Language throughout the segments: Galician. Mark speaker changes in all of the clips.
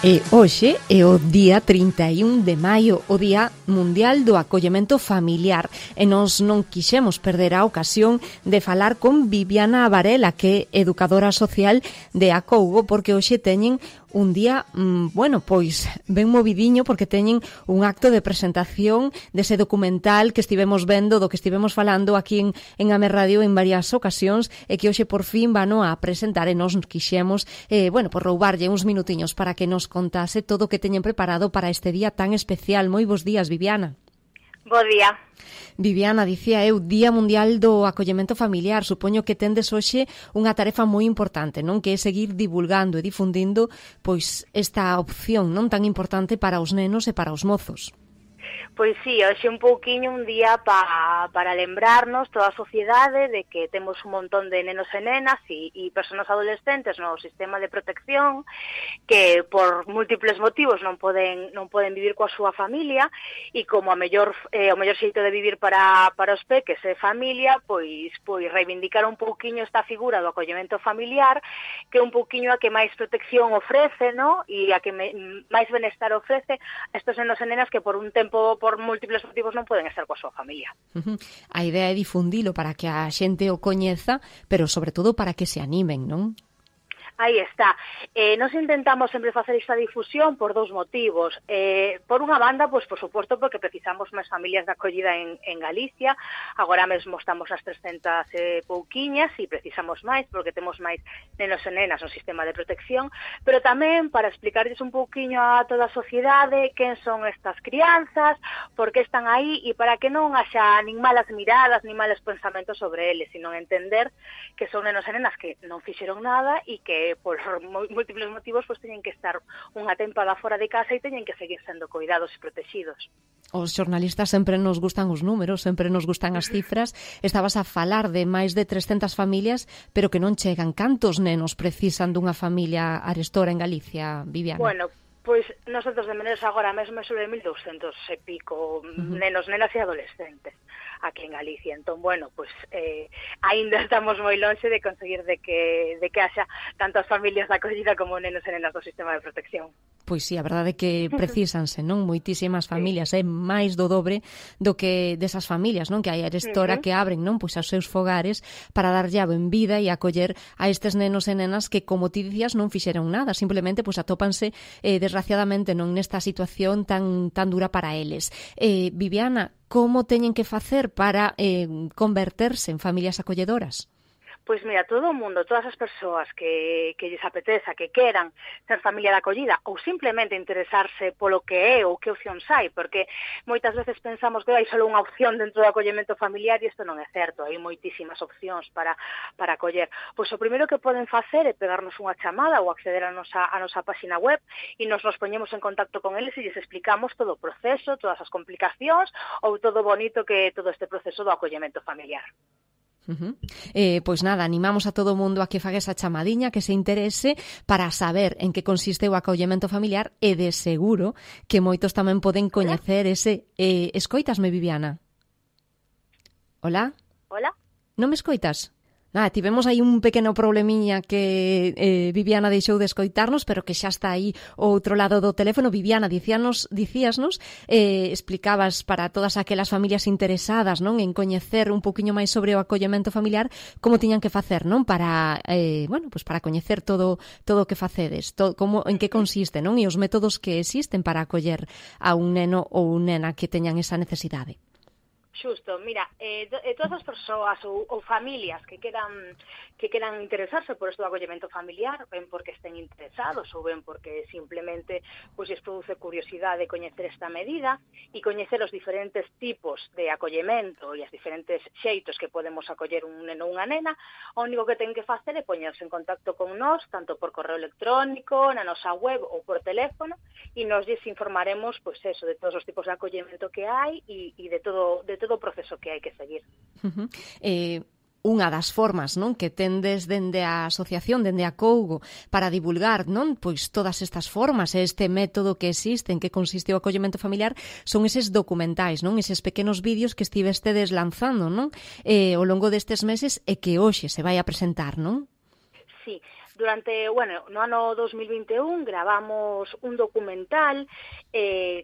Speaker 1: E hoxe é o día 31 de maio, o Día Mundial do Acollemento Familiar, e nós non quixemos perder a ocasión de falar con Viviana Varela, que é educadora social de Acougo, porque hoxe teñen un día, pois ben movidiño, porque teñen un acto de presentación dese documental que estivemos vendo, do que estivemos falando aquí en Ame Radio en varias ocasións, e que hoxe por fin vano a presentar, e nós quixemos, por roubarlle uns minutiños para que nos contase todo o que teñen preparado para este día tan especial. Moi bons días, Viviana.
Speaker 2: Bo día.
Speaker 1: Viviana, dicía eu, Día Mundial do Acollemento Familiar. Supoño que tendes hoxe unha tarefa moi importante, non? Que é seguir divulgando e difundindo pois esta opción non tan importante para os nenos e para os mozos.
Speaker 2: Pois sí, hoxe un pouquiño un día para lembrarnos toda a sociedade de que temos un montón de nenos e nenas e persoas adolescentes no sistema de protección que por múltiples motivos non poden vivir coa súa familia, e como o mellor xeito de vivir para os peques e familia, pois reivindicar un pouquiño esta figura do acollemento familiar, que é un pouquiño a que máis protección ofrece, no? E a que máis benestar ofrece a estos nenos e nenas que por un tempo, por múltiples motivos, non poden estar coa súa familia.
Speaker 1: A idea é difundilo para que a xente o coñeza, pero sobre todo para que se animen, non?
Speaker 2: Aí está. Nos intentamos sempre facer esta difusión por dous motivos. Por unha banda, pois por suposto, porque precisamos máis familias de acollida en Galicia. Agora mesmo estamos ás 300 pouquiñas e precisamos máis porque temos máis nenos e nenas no sistema de protección, pero tamén para explicarles un pouquiño a toda a sociedade quen son estas crianzas, por que están aí, e para que non haxa nin malas miradas, nin malos pensamentos sobre eles, sino entender que son nenos e nenas que non fixeron nada e que por múltiples motivos pois teñen que estar unha tempada fora de casa e teñen que seguir sendo cuidados e protegidos.
Speaker 1: Os xornalistas sempre nos gustan os números, sempre nos gustan as cifras. Estabas a falar de máis de 300 familias, pero que non chegan. Cantos nenos precisan dunha familia arestora en Galicia, Viviana?
Speaker 2: Bueno, pois nosotros de menos agora mesmo é sobre 1.200 e pico nenos, nenas e adolescentes aquí en Galicia. Entón, pois aínda estamos moi lonxe de conseguir de que haxa tantas familias de acollida como nenos e nenas do sistema de protección.
Speaker 1: Pois sí, a verdade é que precísanse, non? Moitísimas familias, é máis do dobre do que desas familias, non? Que hai arestora que abren, non? Pois aos seus fogares para darlle a benvida e acoller a estes nenos e nenas que, como ti dicías, non fixeron nada, simplemente pois atópanse desgraciadamente non nesta situación tan dura para eles. Viviana, como teñen que facer para converterse en familias acolledoras?
Speaker 2: Pois mira, todo o mundo, todas as persoas que lles apeteza, que queran ser familia de acollida ou simplemente interesarse polo que é ou que opcións hai, porque moitas veces pensamos que hai só unha opción dentro do acollemento familiar e isto non é certo, hai moitísimas opcións para acoller. Pois o primeiro que poden facer é pegarnos unha chamada ou acceder a nosa página web e nos poñemos en contacto con eles e lles explicamos todo o proceso, todas as complicacións ou todo bonito que é todo este proceso do acollemento familiar.
Speaker 1: Pois nada, animamos a todo o mundo a que faga esa chamadiña, que se interese para saber en que consiste o acollemento familiar, e de seguro que moitos tamén poden coñecer ese... escoitasme, Viviana? Hola?
Speaker 2: Hola? Non
Speaker 1: me escoitas? Tivemos aí un pequeno problemiña que Viviana deixou de escoitarnos, pero que xa está aí ao outro lado do teléfono. Viviana, dicíasnos, explicabas para todas aquelas familias interesadas, non, en coñecer un poquinho máis sobre o acollemento familiar, como tiñan que facer, non, para para coñecer todo o que facedes, en que consiste, non, e os métodos que existen para acoller a un neno ou nena que teñan esa necesidade.
Speaker 2: Xusto, mira, todas as persoas ou familias que queran interesarse por isto do acollemento familiar, ben porque estén interesados ou ben porque simplemente pois lles produce curiosidade coñecer esta medida e coñecer os diferentes tipos de acollemento e as diferentes xeitos que podemos acoller un neno ou unha nena, o único que ten que facer é poñerse en contacto con nós, tanto por correo electrónico, na nosa web ou por teléfono, e nos lles informaremos pois eso, de todos os tipos de acollemento que hai e de todo o proceso que hai que seguir.
Speaker 1: Unha das formas, non, que tendes dende a asociación, dende a Acougo, para divulgar, non, pois todas estas formas, este método que existe, en que consiste o acollemento familiar, son eses documentais, non, eses pequenos vídeos que estivestedes lanzando, non, ao longo destes meses e que hoxe se vai a presentar, non?
Speaker 2: Sí, no ano 2021 gravamos un documental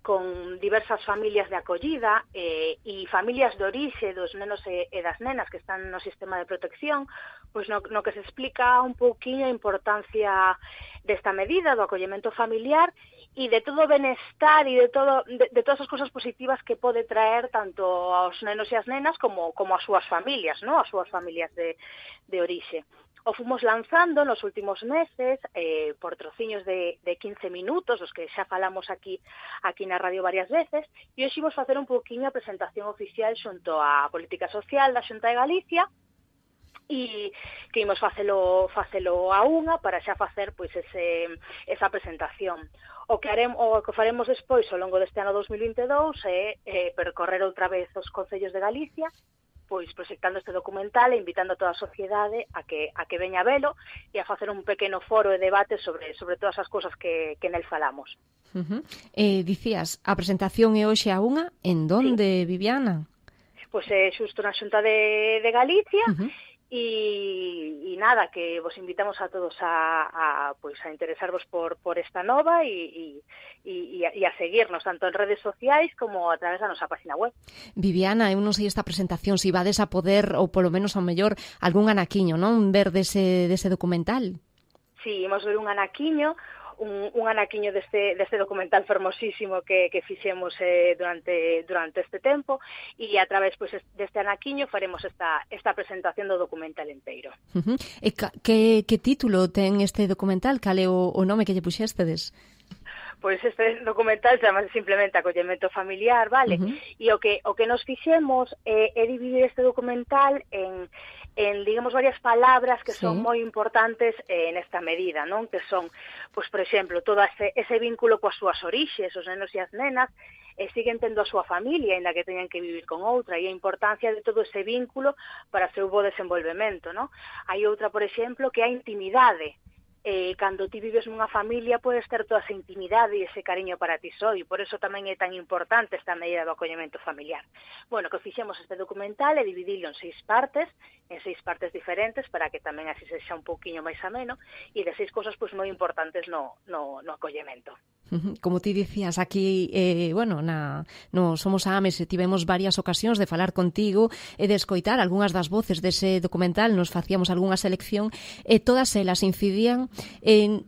Speaker 2: con diversas familias de acollida e familias de orixe dos nenos e das nenas que están no sistema de protección, pois no que se explica un pouquiño a importancia desta medida do acollemento familiar e de todo o benestar e de todas as cousas positivas que pode traer tanto aos nenos e as nenas como as súas familias, ¿no? As súas familias de orixe. O fomos lanzando nos últimos meses por trociños de 15 minutos, os que xa falamos aquí na radio varias veces, e hoxe imos facer un pouquiño a presentación oficial xunto á Política Social da Xunta de Galicia, e que imos facelo a unha para xa facer pois esa presentación. O que faremos despois ao longo deste ano 2022 é percorrer outra vez os concellos de Galicia, pois proxectando este documental e invitando a toda a sociedade a que veña a velo e a facer un pequeno foro e debate sobre todas as cousas que nel falamos.
Speaker 1: Dicías, a presentación é hoxe a unha, en donde, sí, Viviana?
Speaker 2: Pois é xusto na Xunta de Galicia, e nada, que vos invitamos a todos a interesarvos por esta nova e a seguirnos tanto en redes sociais como a través da nosa página web.
Speaker 1: Viviana, eu non sei esta presentación se vades a poder, ou polo menos ao mellor algún anaquiño, non, ver dese documental.
Speaker 2: Sí, imos ver un anaquiño deste documental fermosísimo que fixemos durante este tempo, e a través deste anaquiño faremos esta presentación do documental enteiro.
Speaker 1: E que título ten este documental? Cal é o nome que lle puxéstedes?
Speaker 2: Pois este documental chamase simplemente Acollemento Familiar, vale? E o que nos fixemos é dividir este documental en digamos, varias palabras que son moi importantes nesta medida, non? Que son, pois, por exemplo, todo ese vínculo coas súas orixes, os nenos e as nenas, siguen tendo a súa familia, ainda que teñan que vivir con outra, e a importancia de todo ese vínculo para o seu bo desenvolvemento, non? Hai outra, por exemplo, que é a intimidade. Cando ti vives nunha familia podes ter toda esa intimidade e ese cariño para ti só, e por eso tamén é tan importante esta medida do acollemento familiar. Bueno, que fixemos este documental e dividilo en 6 partes diferentes, para que tamén así sexa un pouquiño máis ameno, e de 6 cosas pois moi importantes no acollemento.
Speaker 1: Como ti dicías aquí, no Somos Ames, tivemos varias ocasións de falar contigo e de escoitar algunhas das voces dese documental, nos facíamos algunha selección e todas elas incidían en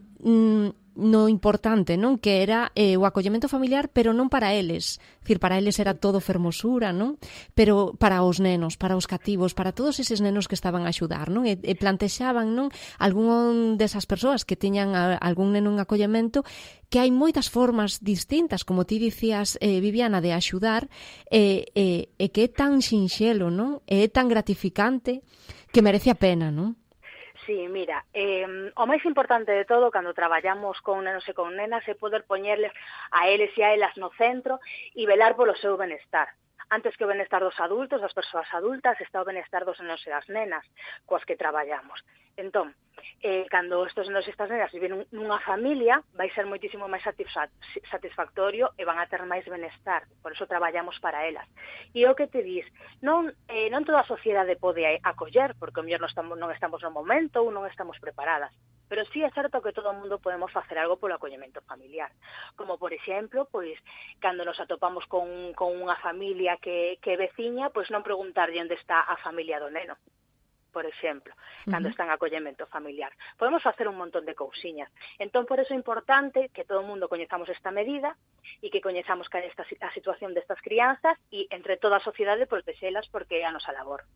Speaker 1: no importante, non? Que era o acollemento familiar, pero non para eles. Dicir, para eles era todo fermosura, non? Pero para os nenos, para os cativos, para todos eses nenos que estaban a axudar, non? E plantexaban, non? Algún desas persoas que teñan algún neno en acollemento, que hai moitas formas distintas, como ti dicías, Viviana, de axudar, e que é tan sinxelo, non? E é tan gratificante que merece a pena, non?
Speaker 2: Sí, mira, o máis importante de todo cando traballamos con nenos e con nenas é poder poñerles a eles e a elas no centro e velar polo seu benestar. Antes que o benestar dos adultos, das persoas adultas, está o benestar dos nenos e das nenas coas que traballamos. Entón, cando estes nenos e estas nenas viven nunha familia, vai ser moitísimo máis satisfactorio e van a ter máis benestar. Por eso traballamos para elas. E o que te dis, non toda a sociedade pode acoller, porque o mellor non estamos no momento ou non estamos preparadas. Pero sí é certo que todo o mundo podemos facer algo polo acollemento familiar. Como, por exemplo, pois, cando nos atopamos con unha familia que é veciña, pois non preguntarlle onde está a familia do neno, por exemplo, cando está en acollemento familiar. Podemos facer un montón de cousiñas. Entón, por eso é importante que todo o mundo coñezamos esta medida e que coñezamos que a situación destas crianzas e, entre toda a sociedade, protexelas porque é a nosa labor.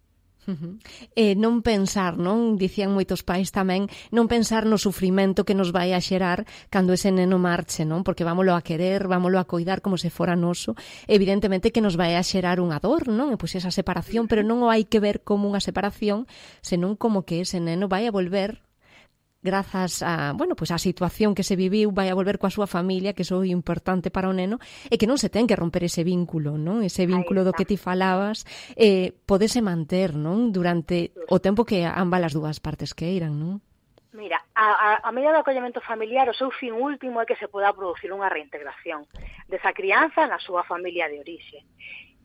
Speaker 1: Non pensar, non? Dicían moitos pais tamén, non pensar no sufrimento que nos vai a xerar cando ese neno marche, non? Porque vámolo a querer, vámolo a coidar como se fora noso. Evidentemente que nos vai a xerar unha dor, non? E pois esa separación, pero non o hai que ver como unha separación, senón como que ese neno vai a volver grazas a, pois a situación que se viviu, vai a volver coa súa familia, que iso é importante para o neno, e que non se ten que romper ese vínculo, non? Ese vínculo do que ti falabas, podese manter, non? Durante o tempo que ambas as dúas partes queiran, non?
Speaker 2: Mira, a medida do acollemento familiar, o seu fin último é que se poda producir unha reintegración desa crianza na súa familia de orixe.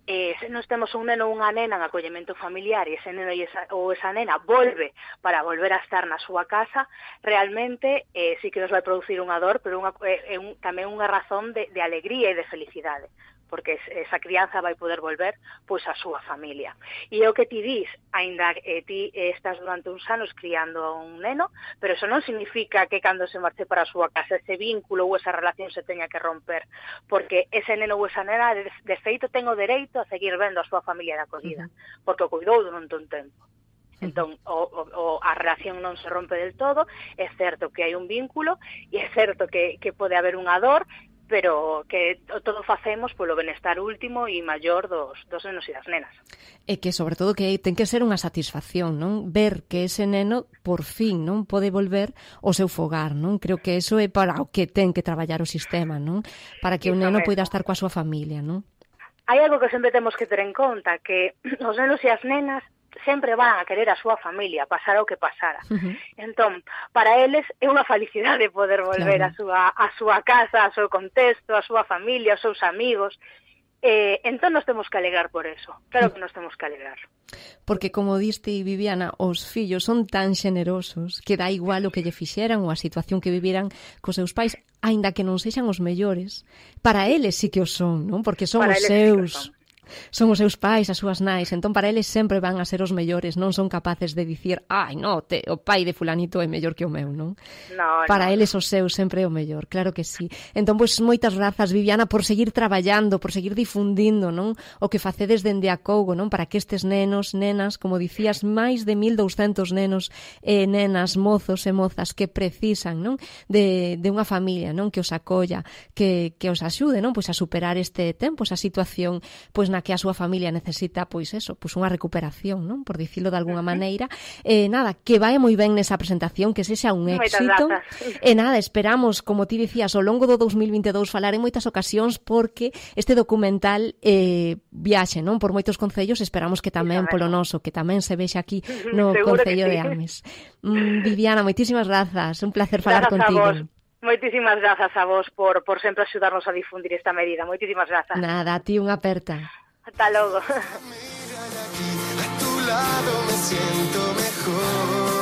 Speaker 2: se nos temos un neno ou unha nena en acollemento familiar e ese neno ou esa nena volve para volver a estar na súa casa, realmente sí que nos vai producir unha dor, pero tamén unha razón de alegría e de felicidade, porque esa crianza vai poder volver pois a súa familia. E é o que ti dis, aínda ti estás durante uns anos criando a un neno, pero eso non significa que cando se marche para a súa casa ese vínculo ou esa relación se teña que romper, porque ese neno ou esa nena de feito ten o dereito a seguir vendo a súa familia de acollida, porque o cuidou durante un tempo. Entón, a relación non se rompe del todo, é certo que hai un vínculo e é certo que pode haber unha dor, pero que todo facemos polo benestar último e maior dos nenos e das nenas.
Speaker 1: E que, sobre todo, que ten que ser unha satisfacción, non? Ver que ese neno, por fin, non pode volver ao seu fogar, non? Creo que eso é para o que ten que traballar o sistema, non? Para que o neno poida estar coa súa familia, non?
Speaker 2: Hai algo que sempre temos que ter en conta, que os nenos e as nenas sempre van a querer a súa familia, pasara o que pasara. Entón, para eles é unha felicidade poder volver a súa casa, ao seu contexto, a súa familia, aos seus amigos. Entón nos temos que alegrar por eso. Claro que nos temos que alegrar.
Speaker 1: Porque, como diste, Viviana, os fillos son tan xenerosos que dá igual o que lle fixeran ou a situación que viviran cos seus pais, aínda que non sexan os mellores. Para eles sí que o son, non? Porque son os seus... Son os seus pais, as súas nais, entón para eles sempre van a ser os mellores, non son capaces de dicir, ai, no, o pai de fulanito é mellor que o meu, non? Para eles os seus sempre é o mellor, claro que sí. Entón, pois, moitas grazas, Viviana, por seguir traballando, por seguir difundindo, non? O que facedes dende a Cougo, non? Para que estes nenos, nenas, como dicías, máis de 1.200 nenos e nenas, mozos e mozas que precisan, non? De unha familia, non? Que os acolla, que os axude, non? Pois a superar este tempo, esa situación, pois na que a súa familia necesita, pois eso, pois unha recuperación, non? Por dicilo de alguna maneira. Nada, que vai moi ben nesa presentación, que sexa un éxito. E nada, esperamos, como ti dicías, ao longo do 2022 falar en moitas ocasións porque este documental viaxe, non? Por moitos concellos, esperamos que tamén polo noso, que tamén se vexe aquí no Concello de Ames. Viviana, moitísimas grazas, un placer falar contigo.
Speaker 2: Moitísimas grazas a vos por sempre axudarnos a difundir esta medida. Moitísimas grazas.
Speaker 1: Nada, a ti unha aperta.
Speaker 2: Hasta logo.
Speaker 3: Mira de aquí, a tu lado me siento mejor.